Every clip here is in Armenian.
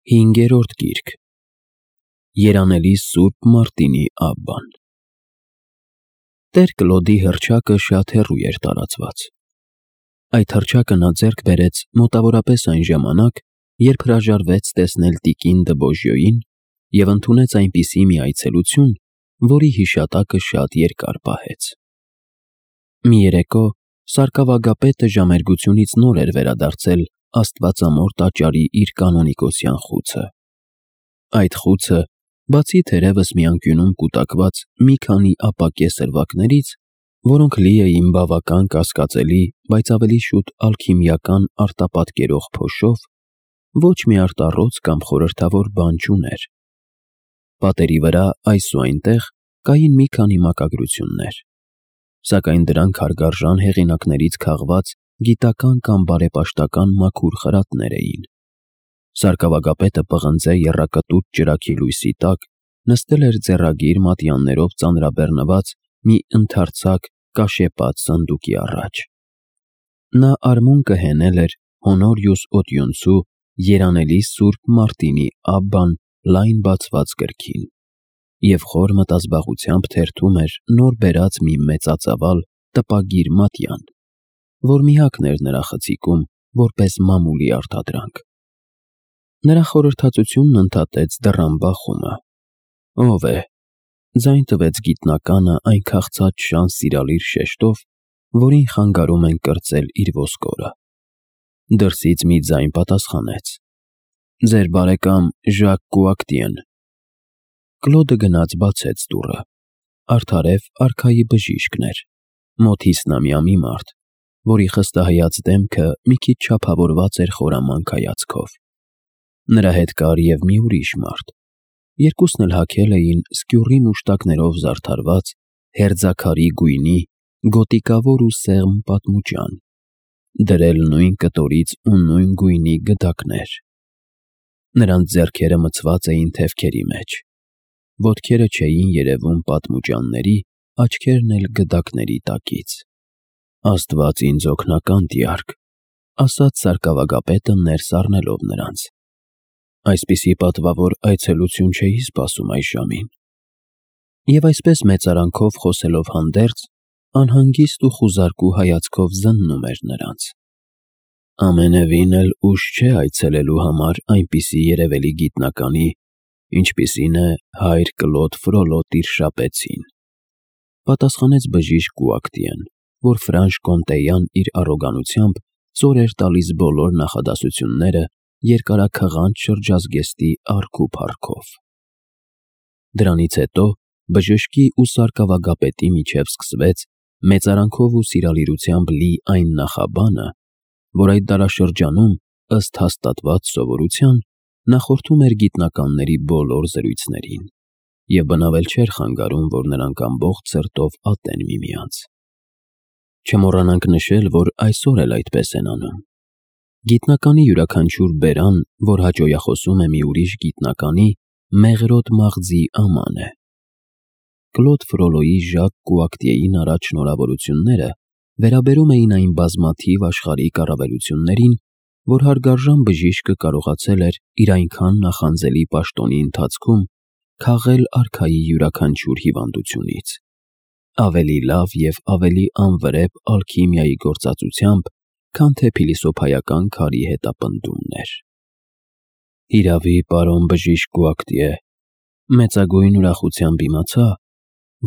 5-րդ գիրք Երանելի Սուրբ Մարտինի Աբբան Տեր Կլոդի հռչակը շատ հեռու էր տարածված։ Այդ հռչակը նա ձեռք բերեց մոտավորապես այն ժամանակ, երբ հրաժարվեց տեսնել տիկին Դբոժյոյին և ընդունեց այնպիսի մի այցելություն, որի հիշատակը շատ երկար պահեց։ Մի երեկո սարկավագապետը ժամերգությունից նոր էր վերադարձել Աստվածամոր տաճարի իր կանոնիկոսյան խուցը։ Այդ խուցը, բացի թերևս մի անկյունում կուտակված մի քանի ապակե սրվակներից, որոնք լի էին բավական կասկածելի, բայց ավելի շուտ ալքիմիական արտապատկերող փոշով, ոչ մի արտառոց կամ խորհրդավոր բան չուներ։ Պատերի վրա այս ու այնտեղ կային մի քանի մակագրություններ, սակայն դրանք հարգարժան հեղինակներից քաղված գիտական կամ բարեպաշտական մաքուր խրատներ էին։ Սարկավագապետը պղնձե եռակտուր ճրագի լույսի տակ նստել էր ձեռագիր մատյաններով ծանրաբեռնված մի ընդարձակ կաշեպած սանդուղքի առաջ։ Նա արմունկը հենել էր Հոնորիուս Օտյունցու Երանելի Սուրբ Մարտինի Աբբան լայն բացված գրքին և խոր մտազբաղությամբ թերթում էր նոր բերած մի մեծածավալ տպագիր մատյան, որ միակն էր նրա խցիկում որպես մամուլի արտադրանք։ Նրա խորհրդածությունն ընդհատեց դռան բախումը։ «Ո՞վ է», ձայն տվեց գիտնականը այն քաղցած շան սիրալիր շեշտով, որին խանգարում են կրծել իր ոսկորը։ Դրսից մի ձայն պատասխանեց. «Ձեր բարեկամ Ժակ Կուակտիեն»։ Կլոդը գնաց բացեց դուռը։ Արդարև արքայի բժիշկն էր, մոտ 50-ամյա մի մարդ, որի խստահայաց դեմքը մի քիչ չափավորված էր խորամանկ հայացքով։ Նրա հետ կար և մի ուրիշ մարդ։ Երկուսն էլ հագել էին սկյուռի մուշտակներով զարդարված հերձաքարի գույնի գոտիկավոր ու սեղմ պատմուջան, դրել նույն կտորից ու նույն գույնի գդակներ։ Նրանց ձեռքերը մցված էին թևքերի մեջ, ոտքերը չէին երևում պատմուջանների, աչքերն էլ գդակների տակից։ «Աստված ինձ օգնական տյարք», ասաց սարկավագապետը ներս առնելով նրանց։ «Այսպիսի պատվավոր այցելություն չէի սպասում այս ժամին»։ Եվ այսպես մեծարանքով խոսելով հանդերձ, անհանգիստ ու խուզարկու հայացքով զննում էր նրանց։ «Ամենևին էլ ուշ չէ այցելելու համար այնպիսի երևելի գիտնականի, ինչպիսին է հայր Կլոդ Ֆրոլո Տիրշապեցին», պատասխանեց բժիշկ Կուակտիեն, որ ֆրանշկոնտեյան իր առոգանությամբ ծոր էր տալիս բոլոր նախադասությունները երկարաքղանջ շրջազգեստի առք ու փառքով։ Դրանից հետո բժշկի ու սարկավագապետի միջև սկսվեց մեծարանքով ու սիրալիրությամբ լի այն նախաբանը, որ այդ դարաշրջանում, ըստ հաստատված սովորության, նախորդում էր գիտնականների բոլոր զրույցներին, և բնավել չէր խանգարում, որ նրանք ամբողջ սրտով ատեն միմյանց։ Չմոռանանք նշել, որ այսօր էլ այդպես են անում։ Գիտնականի յուրաքանչյուր բերան, որ հաճոյախոսում է մի ուրիշ գիտնականի, մեղրոտ մաղձի աման է։ Կլոդ Ֆրոլոյի Ժակ Կուակտիեին առաջ շնորհավորությունները վերաբերում էին այն բազմաթիվ աշխարհիկ առավելություններին, որ հարգարժան բժիշկը կարողացել էր իր այնքան նախանձելի պաշտոնի ընթացքում քաղել արքայի յուրաքանչյուր հիվանդությունից, ավելի լավ և ավելի անվրեպ ալքիմիայի գործածությամբ, քան թե փիլիսոփայական քարի հետապնդումն էր։ «Հիրավի, պարոն բժիշկ Կուակտիե, մեծագույն ուրախությամբ իմացա,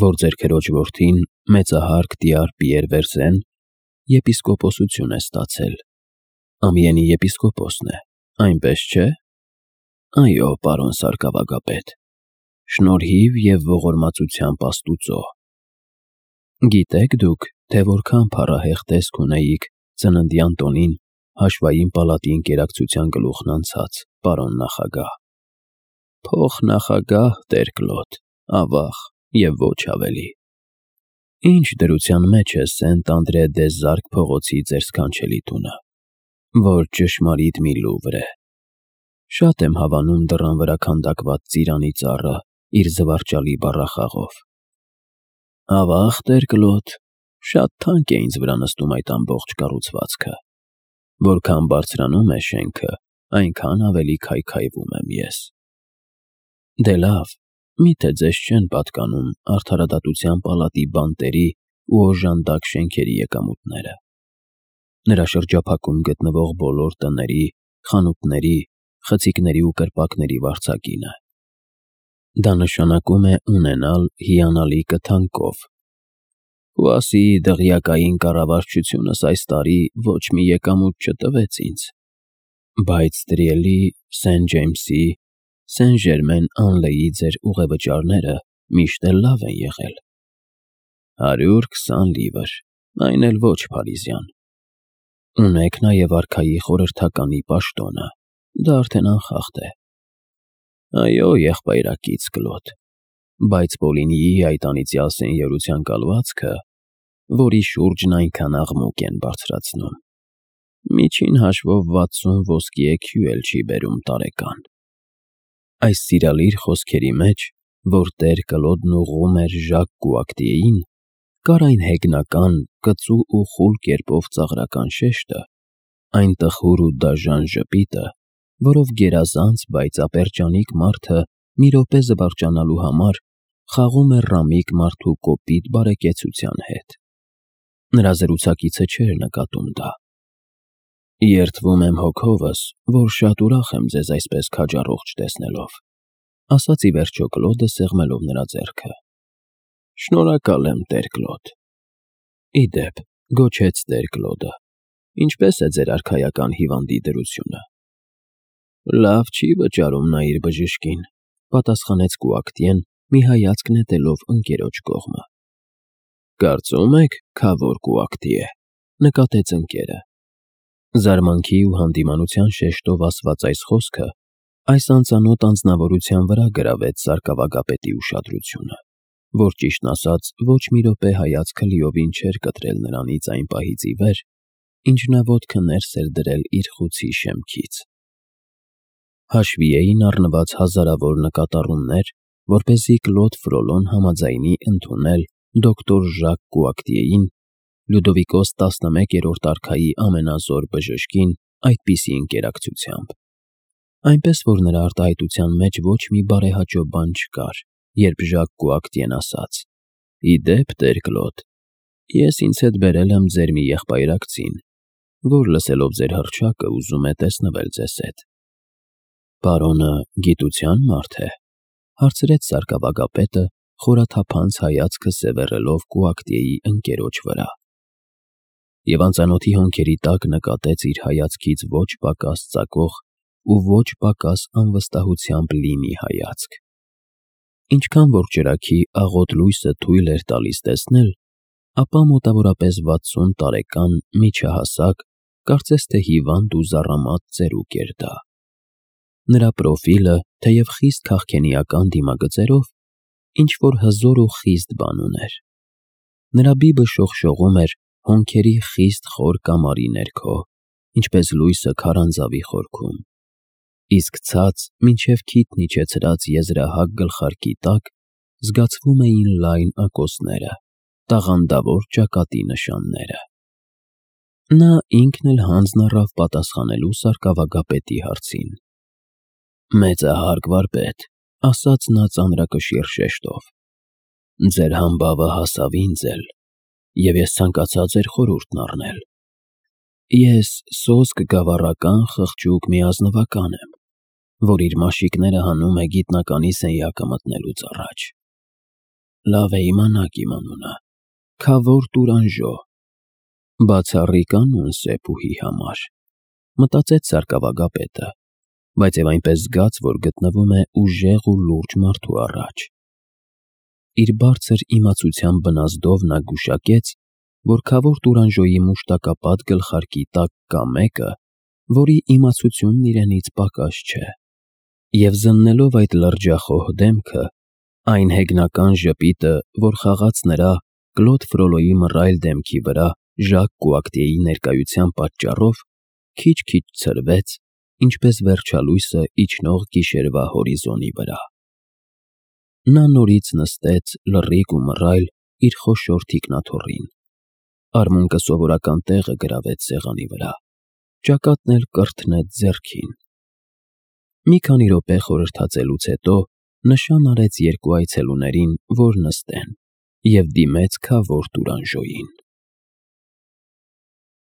որ ձեր քրոջ որդին, մեծահարգ տյար Պիեր Վերզեն, եպիսկոպոսություն է ստացել։ Ամիենի եպիսկոպոսն է, այնպես չէ՞»։ «Այո, պարոն սարկավագապետ, շնորհիվ և ողորմածությամբ Աստուծո»։ «Գիտեք դուք, թե որքան փառահեղ տեսք ունեիք ծննդյան տոնին հաշվային պալատի ընկերակցության գլուխն անցած, պարոն նախագահ»։ «Փոխնախագահ, Տեր Կլոդ, ավաղ և ոչ ավելի»։ «Ինչ դրության մեջ է Սենտ Անդրե դե Զարկ փողոցի ձեր սքանչելի տունը, որ ճշմարիտ մի Լուվր է։ Շատ եմ հավանում դռան վրա քանդակված ծիրանի ծառը իր զվարճալի բառախաղով»։ «Ավաղ, Տեր Կլոդ, շատ թանկ է ինձ վրա նստում այդ ամբողջ կառուցվածքը։ Որքան բարձրանում է շենքը, այնքան ավելի քայքայվում եմ ես։ Դե լավ, միթե ձեզ չեն պատկանում արդարադատության պալատի բանտերի ու օժանդակ շենքերի եկամուտները։ Նրա շրջափակում գտնվող բոլոր տների, խանութների, խցիկների ու կրպակների վարձակինը։ Դա նշանակում է ունենալ հիանալի կթանկով։ Պուասիի դղյակային կառավարչությունս այս տարի ոչ մի եկամուտ չտվեց ինձ, բայց Տրիելի, Սեն Ջեյմսի, Սեն Ժերմեն Անլեի ձեր ուղևճարները միշտ էլ լավ են եղել։ 120 լիվր, այն էլ ոչ փարիզյան։ Ունեք նաև արքայի խորհրդականի պաշտոնը, դա արդեն անխախտ է։ Այո, եղբայրակից Կլոդ, բայց Պոլինիի այդ անիծյալ սենյորության կալվածքը, որի շուրջն այնքան աղմուկ են բարձրացնում, միջին հաշվով 60 ոսկի էքյու էլ չի բերում տարեկան։ Այս սիրալիր խոսքերի մեջ, որ տեր Կլոդն ուղղում էր Ժակ Կուակտիեին, կար այն հեգնական, կծու ու խուլ կերպով ծաղրական շեշտը, այն տխուր ու դաժան ժպիտը, որով գերազանց, բայց ապերջանիկ մարդը մի րոպե զվարճանալու համար խաղում է ռամիկ մարդու կոպիտ բարեկեցության հետ։ Նրա զրուցակիցը չէր նկատում դա։ Երդվում եմ հոգովս, որ շատ ուրախ եմ ձեզ այսպես քաջառողջ տեսնելով, ասաց ի վերջո Կլոդը սեղմելով նրա ձեռքը։ Շնորհակալ եմ, տեր Կլոդ։ Ի դեպ, գոչեց տեր Կլոդը, ինչպես է ձեր արքայական հիվանդի դրությունը։ Լավ չի վճարում նա իր բժշկին, պատասխանեց Կուակտիեն, մի հայացք նետելով ընկերոջ կողմը։ Կարծում եք, քավոր Կուակտիե, նկատեց ընկերը։ Զարմանքի ու հանդիմանության շեշտով ասված այս խոսքը այս անծանոթ անձնավորության վրա գրավեց սարկավագապետի ուշադրությունը, որ ճիշտն ասած ոչ մի րոպե հայացքը լիովին չէր կտրել նրանից այն պահից ի վեր, ինչ նա ոտքը ներս էր դրել իր խուցի շեմքից։ Հաշվի էին առնված հազարավոր նկատառումներ, որպեսզի Կլոդ Ֆրոլոն համաձայնի ընդունել դոկտոր Ժակ Կուակտիեին, Լյուդովիկոս 11-րդ արքայի ամենազոր բժշկին, այդպիսի ընկերակցությամբ։ Այնպես որ նրա արտահայտության մեջ ոչ մի բարեհաճո բան չկար, երբ Ժակ Կուակտիեն ասաց. Ի դեպ, տեր Կլոդ, ես ինձ հետ բերել եմ ձեր մի եղբայրակցին, որ լսելով ձեր հռչակը ուզում է տեսնվել ձեզ հետ։ Պարոնը գիտության մարդ է, հարցրեց սարկավագապետը, խորաթափանց հայացքը սևեռելով Կուակտիեի ընկերոջ վրա։ Եվ անծանոթի հոնքերի տակ նկատեց իր հայացքից ոչ պակաս ծակող ու ոչ պակաս անվստահությամբ լի մի հայացք։ Ինչքան որ ճրագի աղոտ լույսը թույլ էր տալիս տեսնել, ապա մոտավորապես 60 տարեկան միջահասակ, կարծես թե հիվանդ ու զառամատ ծերուկ էր դա։ Նրա պրոֆիլը, թեև խիստ քաղքենիական դիմագծերով, ինչ-որ հզոր ու խիստ բան ուներ։ Նրա բիբը շողշողում էր հոնքերի խիստ խոր կամարի ներքո, ինչպես լույսը քարանձավի խորքում, իսկ ցած մինչև քիթն իջեցրած եզրահակ գլխարկի տակ զգացվում էին լայն ակոսները, տաղանդավոր ճակատի նշանները։ Նա ինքն էլ հանձն առավ պատասխանելու սարկավագապետի հարցին։ Մեծահարկ վարպետ, ասաց նա ծանրակշիռ շեշտով, ձեր համբավը հասավ ինձ էլ, և ես ցանկացա ձեր խորհուրդն առնել։ Ես սոսկ գավառական խղճուկ մի ազնվական եմ, որ իր մաշիկները հանում է գիտնականի սենյակը մտնելուց առաջ։ Լավ է իմանաք իմ անունը, Քավոր Տուրանժո, բացառիկ անուն Սեփուհի համար, մտածեց սարկավագապետը, բայց և այնպես զգաց, որ գտնվում է ուժեղ ու լուրջ մարդու առաջ։ Իր բարձր իմացության բնազդով նա գուշակեց, որ Քավոր Տուրանժոյի մուշտակապատ գլխարկի տակ կա մեկը, որի իմացությունն իրենից պակաս չէ, և զննելով այդ լրջախոհ դեմքը, այն հեգնական ժպիտը, որ խաղաց նրա Կլոդ Ֆրոլոյի մռայլ դեմքի վրա Ժակ Կուակտիեի ներկայության պատճառով, քիչ-քիչ ցրվեց, ինչպես վերջալույսը իջնող գիշերվա հորիզոնի վրա։ Նա նորից նստեց լռիկ ու մռայլ իր խոշոր թիկնաթոռին, արմունկը սովորական տեղը գրավեց սեղանի վրա, ճակատն էլ կրթնեց ձեռքին, Մի քանի րոպե խորհրդածելուց հետո նշան արեց երկու այցելուներին, որ նստեն, և դիմեց քավոր տուրանժոյին։